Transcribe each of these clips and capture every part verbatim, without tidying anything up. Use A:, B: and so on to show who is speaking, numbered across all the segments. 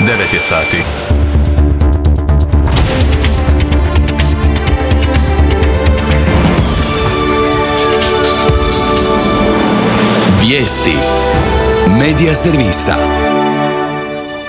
A: devet je sati.
B: Vijesti Medija servisa.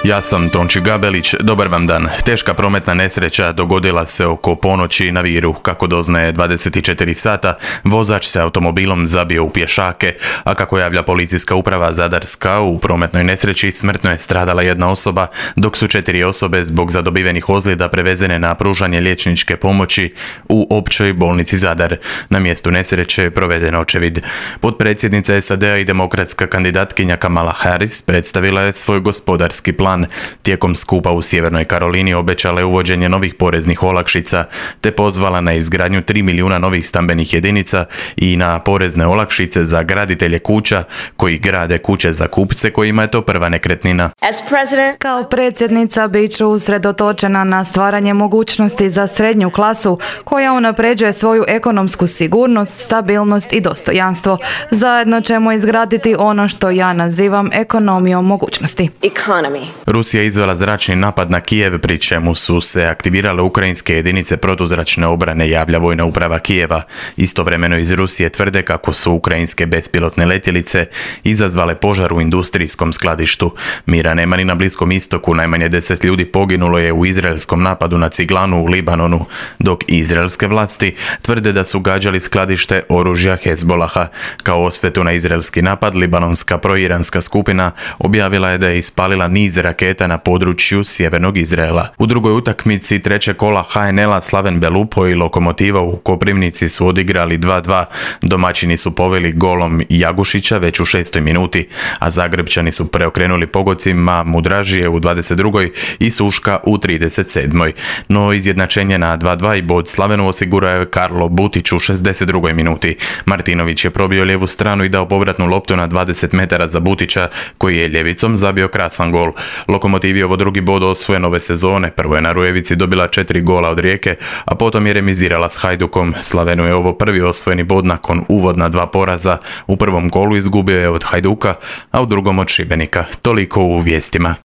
A: Ja sam Tonči Gabelić, dobar vam dan. Teška prometna nesreća dogodila se oko ponoći na Viru. Kako doznaje dvadeset četiri sata, vozač se automobilom zabio u pješake, a kako javlja policijska uprava Zadarska, u prometnoj nesreći smrtno je stradala jedna osoba, dok su četiri osobe zbog zadobivenih ozljeda prevezene na pružanje liječničke pomoći u općoj bolnici Zadar. Na mjestu nesreće je proveden očevid. Potpredsjednica S A D-a i demokratska kandidatkinja Kamala Harris predstavila je svoj gospodarski plan. Tijekom skupa u Sjevernoj Karolini obećala je uvođenje novih poreznih olakšica, te pozvala na izgradnju tri milijuna novih stambenih jedinica i na porezne olakšice za graditelje kuća koji grade kuće za kupce kojima je to prva nekretnina.
C: Kao predsjednica bit ću usredotočena na stvaranje mogućnosti za srednju klasu koja unapređuje svoju ekonomsku sigurnost, stabilnost i dostojanstvo. Zajedno ćemo izgraditi ono što ja nazivam ekonomijom mogućnosti.
D: Economy.
A: Rusija je izvela zračni napad na Kijev, pri čemu su se aktivirale ukrajinske jedinice protuzračne obrane, javlja vojna uprava Kijeva. Istovremeno iz Rusije tvrde kako su ukrajinske bespilotne letjelice izazvale požar u industrijskom skladištu. Mira nema ni na Bliskom istoku, najmanje deset ljudi poginulo je u izraelskom napadu na ciglanu u Libanonu, dok izraelske vlasti tvrde da su gađali skladište oružja Hezbolaha. Kao osvetu na izraelski napad, libanonska proiranska skupina objavila je da je ispalila niz raketa na području sjevernog Izraela. U drugoj utakmici trećeg kola H N L-a Slaven Belupo i Lokomotiva u Koprivnici su odigrali dva dva. Domaćini su poveli golom Jagušića već u šestoj minuti, a Zagrebčani su preokrenuli pogodcima Mudražije u dvadeset drugoj i Suška u trideset sedmoj. No izjednačenje na dva dva i bod Slavenu osigurao je Karlo Butić u šezdeset drugoj minuti. Martinović je probio lijevu stranu i dao povratnu loptu na dvadeset metara za Butića, koji je ljevicom zabio krasan gol. Lokomotivi ovo drugi bod osvojen ove sezone. Prvo je na Rujevici dobila četiri gola od Rijeke, a potom je remizirala s Hajdukom. Slavenu je ovo prvi osvojeni bod nakon uvodna dva poraza. U prvom kolu izgubio je od Hajduka, a u drugom od Šibenika. Toliko u vijestima.